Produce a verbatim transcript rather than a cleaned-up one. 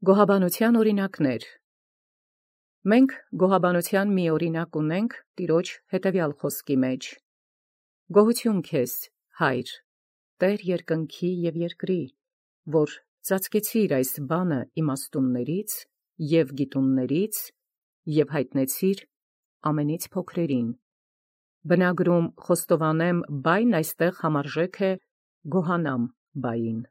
Գոհաբանության օրինակներ։ Մենք գոհաբանության մի օրինակ ունենք տիրոջ հետևյալ խոսքի մեջ. «Գոհություն քեզ, Հայր, Տեր երկնքի և երկրի, որ ծածկեցիր այս բանը իմաստուններից և գիտուններից և յայտնեցիր ամենից փոքրերին»։ Բնագրում խոստովանեմ, բայն այստեղ համարժեք է գոհանամ բային։